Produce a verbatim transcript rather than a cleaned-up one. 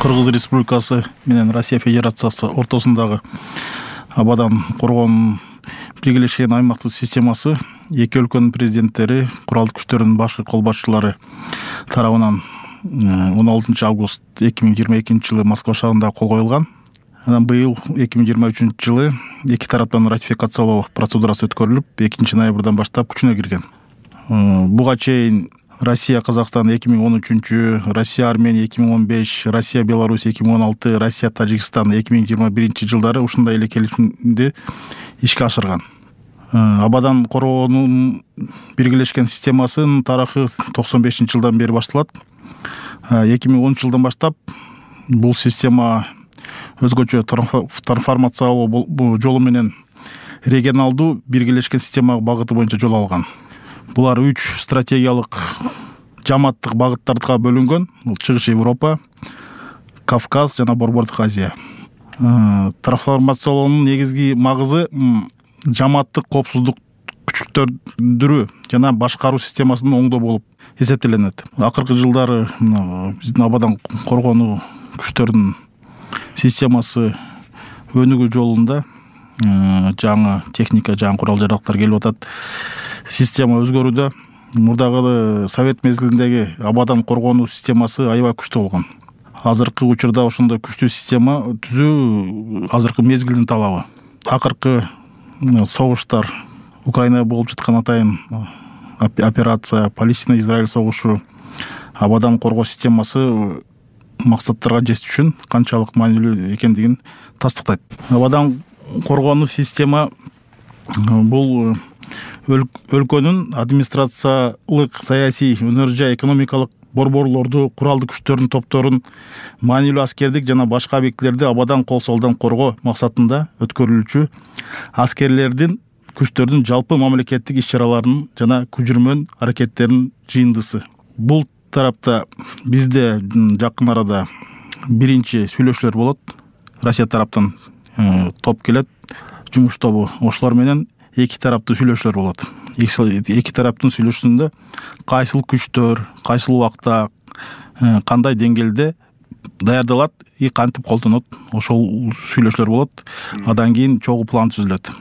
Кыргыз Республикасы менен Россия Федерациясы ортосундагы абадан коргоонун биргелешкен аймактык системасы эки өлкөнүн президенттери, куралдык күчтөрдүн башкы кол башчылары тарабынан он алтынчы август эки миң жыйырма экинчи жылы Москва шаарында кол коюлган. Анан быйыл эки миң жыйырма үчүнчү жылы эки тараптан ратификациялоо процедурасы өткөрүлүп, экинчи ноябрдан баштап күчүнө кирген. Буга чейин Россия Казакстан эки миң он үчүнчү, Россия Армения эки миң он беш, Россия Беларусь эки миң он алты, Россия Тажикстан эки миң жыйырма биринчи жылдары ушундай эле келишимди ишке ашырган. Абадан коргоонун биргелешкен системасынын тарыхы токсон бешинчи жылдан бери башталат. эки миң онунчу жылдан баштап бул система өзгөчө трансформациялоо жолу менен регионалдуу биргелешкен система багыты боюнча жол алган. Булар үч стратегиялык жамааттык багыттарга бөлүнгөн. Бул Чыгыш Европа, Кавказ жана Борбордук Азия. Трансформациялоонун негизги магызы жамааттык коопсуздук күчтөндүрүү жана башкаруу системасынын оңдоо болуп эсептелет. Акыркы жылдары биздин абадан коргоонуу күчтөрдүн системасы өнүгүү жолунда жаңы техника, жаңы курал-жарактар келип атат. Система өзгөрүүдө. Мурдагы Совет мезгилиндеги абадан коргоонуу системасы аябай күчтүү болгон. Азыркы учурда ошондой күчтүү система түзүү азыркы мезгилдин талабы. Акыркы согуштар, Украинада болуп жаткан атайын операция, Палестина-Израиль согушу абадан коргоо системасы максаттарга жетиш үчүн канчалык маанилүү экендигин тастыктайт. Абадан коргоонуу система бул өлкөнүн администрациялык, саясий, өнөр жай экономикалык борборлорду, куралдык күчтөрдүн топторун, маанилүү аскердик жана башка объектилерди абадан кол солдон коргоо максатында өткөрүлүүчү аскерлердин күчтөрдүн жалпы мамлекеттик иш-чараларынын жана көчүрмөн аракеттеринин жыйындысы. Бул тарапта бизде жакын арада биринчи сүйлөшүүлөр болот. Россия тараптан топ келет, жумуш тобу. Ошолор менен эки тараптуу сүйлөшүүлөр болот. Эки тараптын сүйлөшүүсүндө кайсыл күчтөр, кайсыл убакта, кандай деңгээлде даярдалат и кантип колдонот, ошол сүйлөшүүлөр болот. Андан кийин чогуу план түзүлөт.